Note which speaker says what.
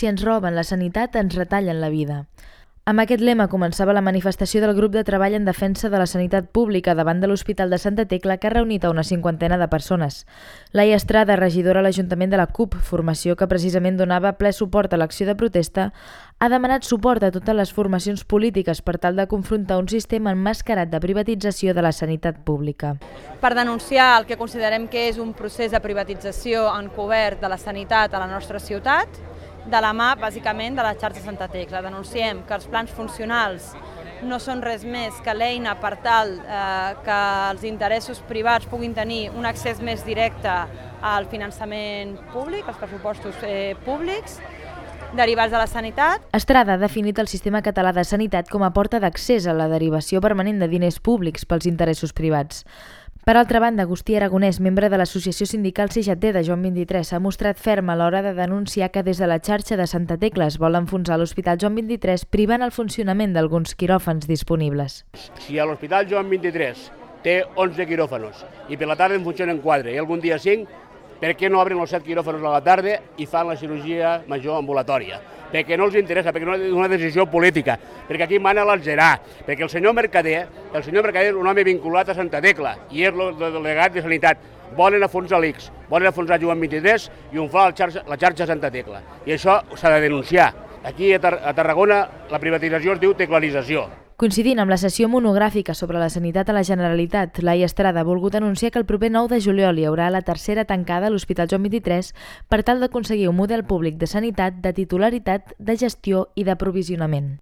Speaker 1: si ens roben la sanitat, ens retallen la vida. Amb aquest lema començava la manifestació del grup de treball en defensa de la sanitat pública davant de l'Hospital de Santa Tecla, que ha reunit a una 50 de persones. Laia Estrada, regidora a l'Ajuntament de la CUP, formació que precisament donava ple suport a l'acció de protesta, ha demanat suport a totes les formacions polítiques per tal de confrontar un sistema emmascarat de privatització de la sanitat pública.
Speaker 2: Per denunciar el que considerem que és un procés de privatització encobert de la sanitat a la nostra ciutat, de la mà, bàsicament, de la xarxa Santa Tecla. Denunciem que els plans funcionals no són res més que l'eina per tal que els interessos privats puguin tenir un accés més directe al finançament públic, als pressupostos públics, derivats de la sanitat.
Speaker 1: Estrada ha definit el sistema català de sanitat com a porta d'accés a la derivació permanent de diners públics pels interessos privats. Per altra banda, Agustí Aragonès, membre de l'associació sindical CGT de Joan 23, s'ha mostrat ferm a l'hora de denunciar que des de la xarxa de Santa Tecla es vol enfonsar l'Hospital Joan 23 privant el funcionament d'alguns quiròfans disponibles.
Speaker 3: Si a l'Hospital Joan 23 té 11 quiròfanos i per la tarda en funcionen 4 i algun dia 5, per què no obren els 7 quiròfanos a la tarda i fan la cirurgia major ambulatòria? Perquè no els interessa, perquè no és una decisió política, perquè aquí mana l'alzerà, perquè el senyor Mercader és un home vinculat a Santa Tecla i és el delegat de Sanitat. Volen enfonsar l'ICS, volen enfonsar Joan 23 i on fa la xarxa Santa Tecla. I això s'ha de denunciar. Aquí a Tarragona la privatització es diu teclarització.
Speaker 1: Coincidint amb la sessió monogràfica sobre la sanitat a la Generalitat, Laia Estrada ha volgut anunciar que el proper 9 de juliol hi haurà la tercera tancada a l'Hospital Joan 23 per tal d'aconseguir un model públic de sanitat, de titularitat, de gestió i d'aprovisionament.